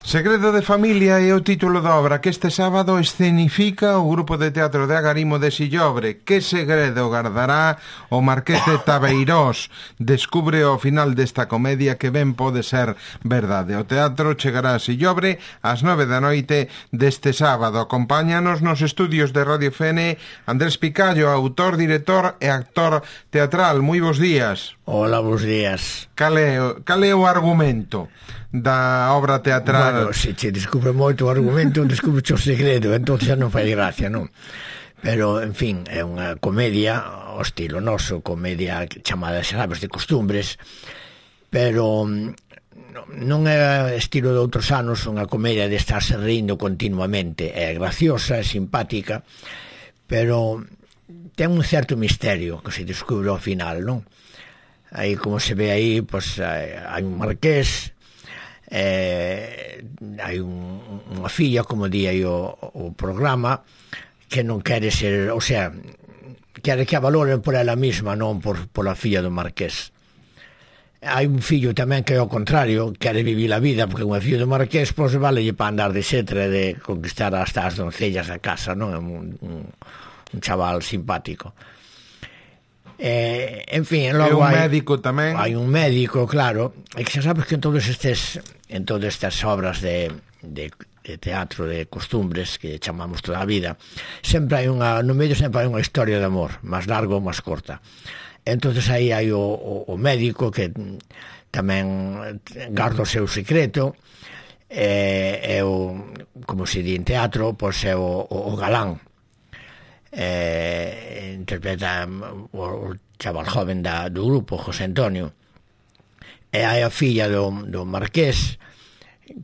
Segredo de familia é o título da obra que este sábado escenifica o grupo de teatro de Agarimo de Sillobre. Que segredo gardará o Marqués de Tabeirós? Descubre ao final desta comedia que ben pode ser verdade. O teatro chegará a Sillobre ás 9 da noite deste sábado. Acompáñanos nos estudios de Radio FN Andrés Picallo, autor, director e actor teatral. Moi bons días. Hola, bons días. Cal é o argumento da obra teatral? Bueno, se che descubre moito o argumento, descubre o segredo, entón xa non fai gracia, non? Pero, en fin, é unha comedia ao estilo noso, comedia chamada, xa sabes, de costumbres, pero non é estilo de outros anos, unha comedia de estarse rindo continuamente. É graciosa, é simpática, pero ten un certo misterio que se descubre ao final, non? Aí, como se ve aí, pois, hai un marqués, hai unha filla, como di aí o programa, que non quere ser, o sea, quere que a valoren por ela mesma, non pola filla do marqués. Hai un fillo tamén que é ao contrario, quere vivir a vida, porque unha fillo do marqués, pois valelle para andar de xetre, de conquistar hasta as doncellas da casa, non? É un chaval simpático. En fin, logo hai un médico tamén. Hai un médico, claro. E que xa sabes que en todas estas obras de teatro de costumbres que chamamos toda a vida, sempre hai no medio sempre hai unha historia de amor, máis larga ou máis corta. Entonces aí hai o médico que tamén garda o seu secreto, é o, como se di en teatro, pois é o galán. Interpreta o chaval joven do grupo, José Antonio, e hai a filla do marqués,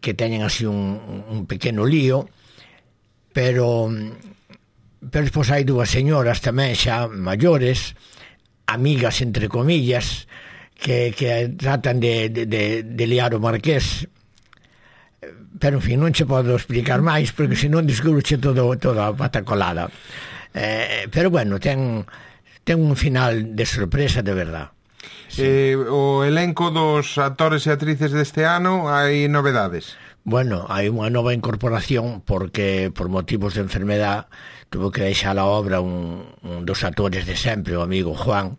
que teñen así un pequeno lío, pero despois hai dúas señoras tamén xa maiores, amigas entre comillas, que tratan de liar o marqués, pero en fin, non che podo explicar máis porque senón descubroche toda a patacolada. Pero bueno, ten un final de sorpresa de verdad. Sí. O elenco dos actores e actrices deste ano, hai novedades? Bueno, hai unha nova incorporación porque por motivos de enfermedad tuvo que deixar a obra un dos actores de sempre, o amigo Juan,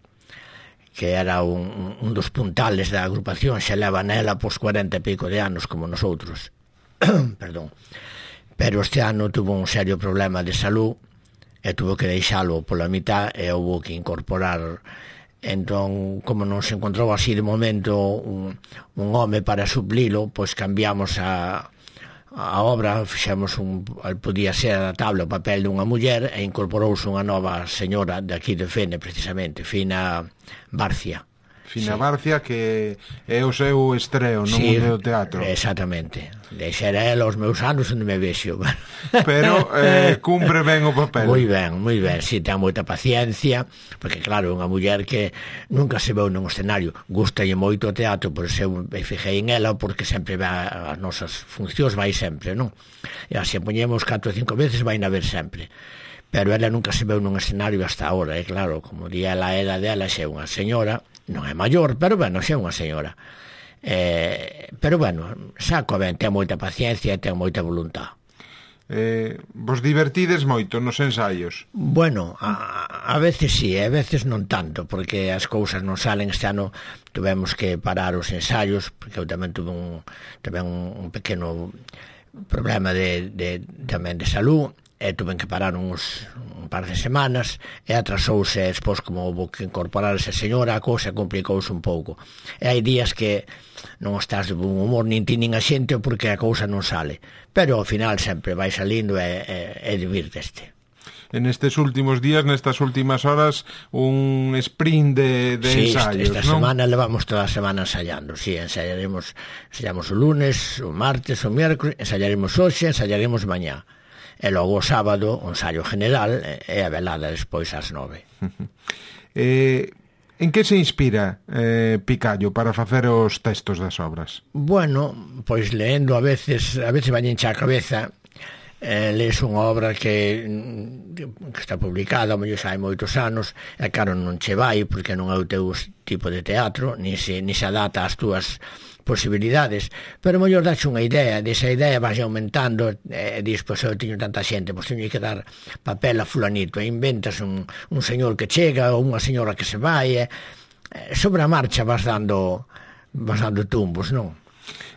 que era un dos puntales da agrupación, xa leva nela pos 40 e pico de anos como nosotros. Perdón. Pero este ano tuvo un serio problema de salud e tuvo que deixalo pola mitad e houve que incorporar. Entón, como non se encontrou así de momento un home para suplilo, pois cambiamos a obra, fixemos podía ser adaptable o papel dunha muller e incorporouse unha nova señora de aquí de Fene, precisamente, Fina Barcia. Fina Barcia, que é o seu estreo no mundo do teatro. Exactamente. Deixera ela os meus anos onde me vexo. Pero cumpre ben o papel. Moi ben, si ten moita paciencia, porque claro, unha muller que nunca se veu nun escenario, gustalle moito o teatro, por eso me fijei en ela, porque sempre vai as nosas funcións, vai sempre, non? E así poñemos 4 ou 5 veces, vai na ver sempre. Pero ela nunca se veu nun escenario hasta ahora, e claro, como di ela, a edad dela xe unha señora, non é maior, pero bueno, xe unha señora. Pero bueno, saco ben, ten moita paciencia e ten moita voluntad. Vos divertides moito nos ensaios? Bueno, a veces sí, a veces non tanto, porque as cousas non salen. Este ano tuvemos que parar os ensaios, porque eu tamén tuve un pequeno problema tamén de salud, e tuven que parar un par de semanas e atrasouse, despois como houve que incorporar esa señora, a cousa complicouse un pouco, e hai días que non estás de bom humor nin ti nin a xente porque a cousa non sale, pero ao final sempre vai salindo e divirteste. En estes últimos días, nestas últimas horas, un sprint de ensaios, esta semana levamos toda a semana ensayando, ensayamos o lunes, o martes, o miércoles, ensayaremos hoxe, ensayaremos mañá. E logo o sábado, o ensaio general, e a velada despois ás 9. En que se inspira Picallo para facer os textos das obras? Bueno, pois leendo a veces vañenche a cabeza, lees unha obra que está publicada, mellor xa hai moitos anos, e claro, non che vai, porque non é o teu tipo de teatro, ni se adapta ás túas posibilidades, pero mellor dache unha idea, desa idea vas aumentando, dis, pois eu teño tanta xente, pois teño que dar papel a fulanito, e inventas un señor que chega ou unha señora que se vai, sobre a marcha vas dando tumbos, non?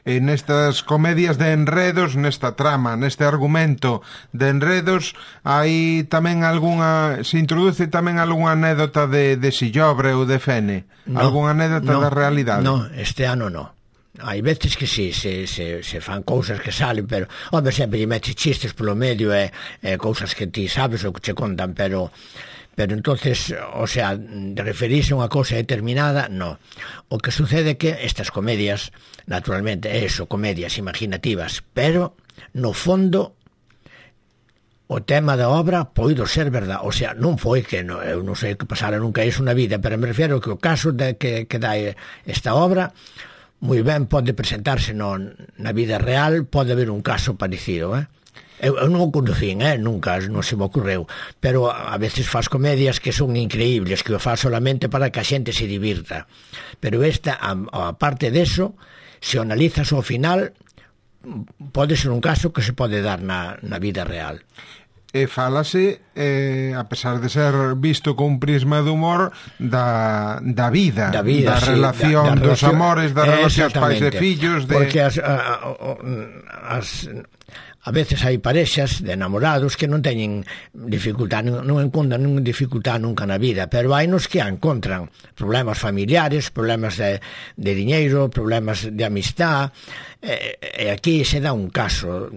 Nestas comedias de enredos, nesta trama, neste argumento de enredos, hai tamén se introduce tamén algunha anécdota de Sillobre ou de Fene? Algunha anécdota da realidade? Non, este ano non. Hai veces que sí, se fan cousas que salen, pero home, sempre lle metes chistes polo medio e cousas que ti sabes ou que che contan, pero entonces, o sea, de referirse a unha cousa determinada, no. O que sucede é que estas comedias, naturalmente, comedias imaginativas, pero no fondo o tema da obra poido ser verdade, o sea, non foi que eu non sei que pasara nunca iso na vida, pero me refiero que o caso de que dá esta obra moi ben pode presentarse na vida real, pode haber un caso parecido, Eu non o conducín, nunca, non se me ocorreu, pero a veces faz comedias que son increíbles, que o faz solamente para que a xente se divirta. Pero esta, a parte deso, se o analizas ao final, pode ser un caso que se pode dar na vida real. E fálase, a pesar de ser visto con un prisma de humor, da vida, da relación, dos amores, das relacións pais e fillos. Porque a veces hai parexas de enamorados que non teñen dificultad, non encontran ninguna dificultad nunca na vida, pero hai nos que encontran problemas familiares, problemas de diñeiro, problemas de amistad, e aquí se dá un caso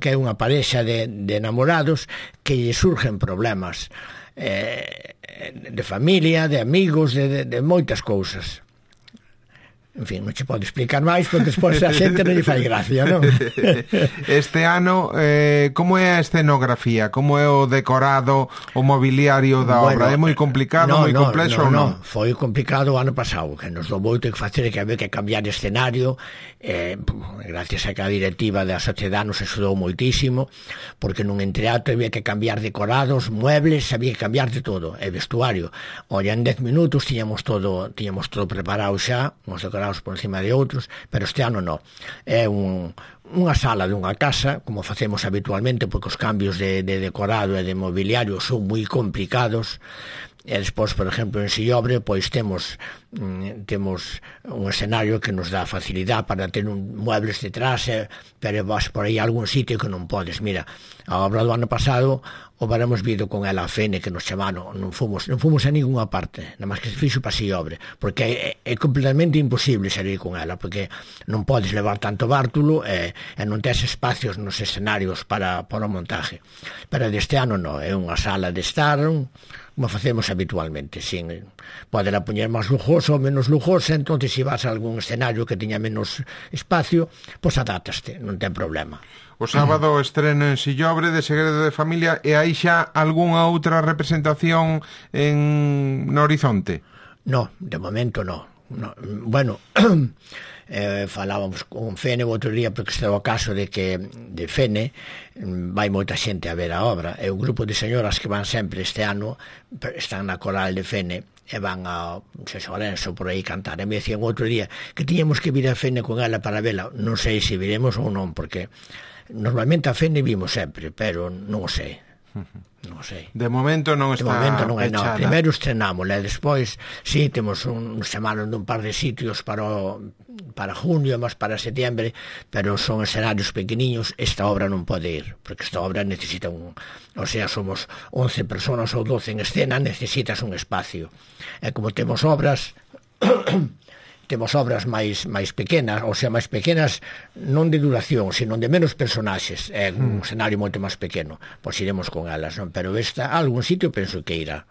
que é unha parexa de enamorados que lle surgen problemas de familia, de amigos, de moitas cousas. En fin, non che podo explicar máis porque despois a xente non lle fai gracia, non? Este ano, como é a escenografía? Como é o decorado, o mobiliario da obra? É moi complicado, moi complexo ou non? Foi complicado o ano pasado, que nos dou moito que facer, que había que cambiar de escenario, gracias a que a directiva da sociedade nos axudou moitísimo, porque nun entreato había que cambiar decorados, muebles, había que cambiar de todo, e vestuario. Olla, en 10 minutos tiñamos todo preparado xa, uns decorados por encima de outros, pero este ano non. É unha sala dunha casa, como facemos habitualmente, porque os cambios de decorado e de mobiliario son moi complicados. E despois, por exemplo, en Sillobre, pois temos un escenario que nos dá facilidade para ter muebles detrás, pero vas por aí a algún sitio que non podes. Mira, a obra do ano pasado o varamos vido con ela a Fene, que nos chamaron, non fomos a ninguna parte, nada máis que se fixo para Sillobre, porque é completamente imposible salir con ela, porque non podes levar tanto bártulo e non tes espacios nos escenarios para o montaje. Pero deste ano non, é unha sala de estar, como facemos habitualmente, sin poder poñer máis lujoso ou menos lujoso, entón se vas a algún escenario que teña menos espacio, pois adátaste, non ten problema. O sábado estreno en Sillobre de Segredo de Familia, e hai xa algunha outra representación no horizonte? No, de momento no. Bueno, falábamos con Fene o outro día, porque está o caso de que de Fene vai moita xente a ver a obra, e un grupo de señoras que van sempre este ano, están na coral de Fene e van a Lorenzo por aí cantar, e me decían outro día que tiñamos que vir a Fene con ela para vela. Non sei se viremos ou non, porque normalmente a Fene vimos sempre, pero non o sei. Non sei. De momento non está pechada. Primeiro estrenámola, e despois si temos un semana dun par de sitios para junio, mas para setiembre, pero son escenarios pequeniños. Esta obra non pode ir, porque esta obra necesita o sea, somos 11 personas ou 12 en escena, necesitas un espacio. E como temos obras máis pequenas, ou sea, máis pequenas non de duración, sino de menos personaxes, é un escenario moito máis pequeno, pois iremos con elas, non? Pero esta, a algún sitio penso que irá.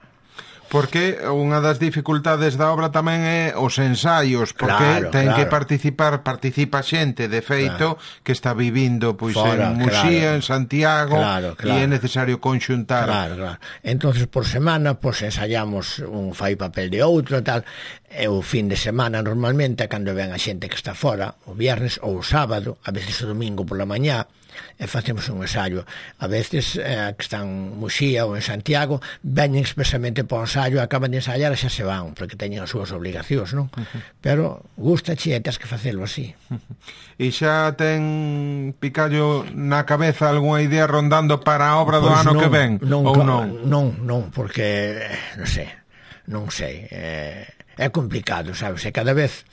Porque unha das dificultades da obra tamén é os ensaios, porque ten que participa xente, de feito, que está vivindo pois en Muxía, en Santiago, e é necesario conxuntar. Entonces, por semana, pois ensaiamos un fai papel de outro e tal, E o fin de semana normalmente cando ven a xente que está fora, o viernes ou o sábado, a veces o domingo pola mañá, e facemos un ensayo. A veces que están en Muxía ou en Santiago veñen expresamente para o ensayo, acaban de ensayar e xa se van porque teñen as súas obligacións, non? Pero gustache e tens que facelo así. E xa ten Picallo na cabeza algunha idea rondando para a obra do ano que ven? Ou non? Non, porque non sei. É complicado, sabes? E cada vez,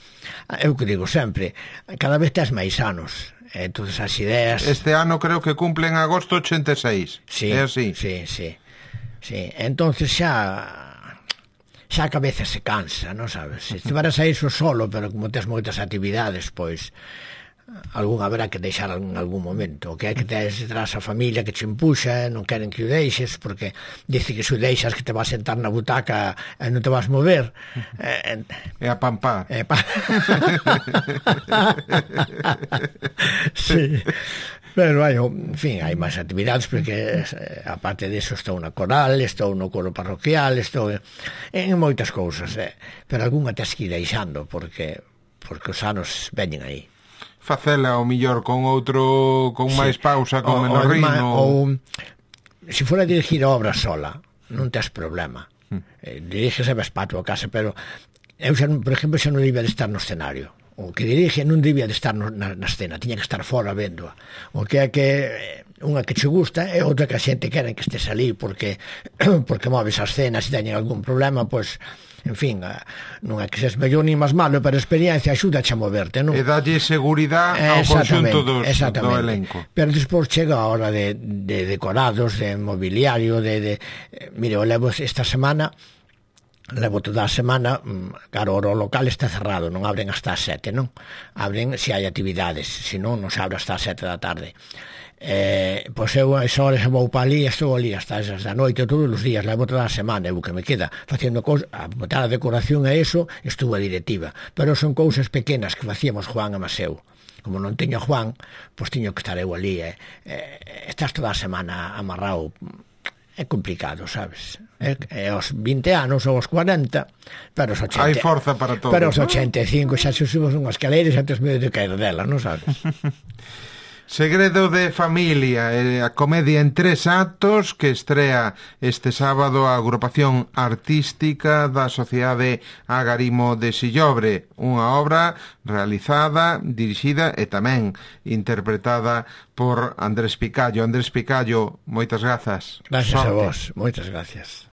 eu que digo sempre, cada vez tes máis anos. Entonces as ideas... Este ano creo que cumple en agosto 86. Sí, é así? Sí. Entonces xa a cabeza se cansa, non sabes? Se estiveras a iso solo, pero como tes moitas actividades, pois algún haberá que deixar en algún momento. O que hai que tes detrás a familia que te empuxa, non queren que o deixes, porque dice que se o deixas que te vas a sentar na butaca e non te vas mover. É a pampar. Sí. Pero en fin, hai máis actividades porque aparte disso estou na coral, estou no coro parroquial, estou en moitas cousas, pero algunha tes que ir deixando porque os anos veñen aí. Facela o mellor con outro, con máis pausa, con menos ritmo. Ou se fora a dirigir a obra sola, non tes problema. Diriges a ves para a tua casa, pero eu xa, por exemplo, xa non debía de estar no escenario. O que dirige non debía de estar na escena, tiña que estar fora vendo. O que é que unha que che gusta e outra que a xente queren que estés ali porque moves a escena, se teñen algún problema, pois en fin, non é que seas mellor ni máis malo, pero a experiencia axuda a moverte, non? E dalle seguridade ao conxunto do elenco. Pero despois chega a hora de decorados, de mobiliario, mire, eu levo esta semana, levo toda a semana, claro, o local está cerrado, non abren hasta as 7, non? Abren se hai actividades, se non se abre hasta as 7 da tarde. Pois eu a esa hora vou para ali, estou ali hasta as da noite todos os días, levo toda a semana, o que me queda facendo cousas, a botar a decoración e eso, estuvo a directiva, pero son cousas pequenas que facíamos Juan e Maseu. Como non teño Juan, pois tiño que estar eu ali, estás toda a semana amarrado. É complicado, sabes? Aos 20 anos ou aos 40, pero os 80... Hai forza para todo. Pero os 85 xa se subes unha escaleira e xa tes medo de caer dela, non sabes? Segredo de familia, a comedia en 3 actos que estrea este sábado a agrupación artística da Sociedade Agarimo de Sillobre, unha obra realizada, dirixida e tamén interpretada por Andrés Picallo. Andrés Picallo, moitas grazas. Gracias a vos, moitas gracias.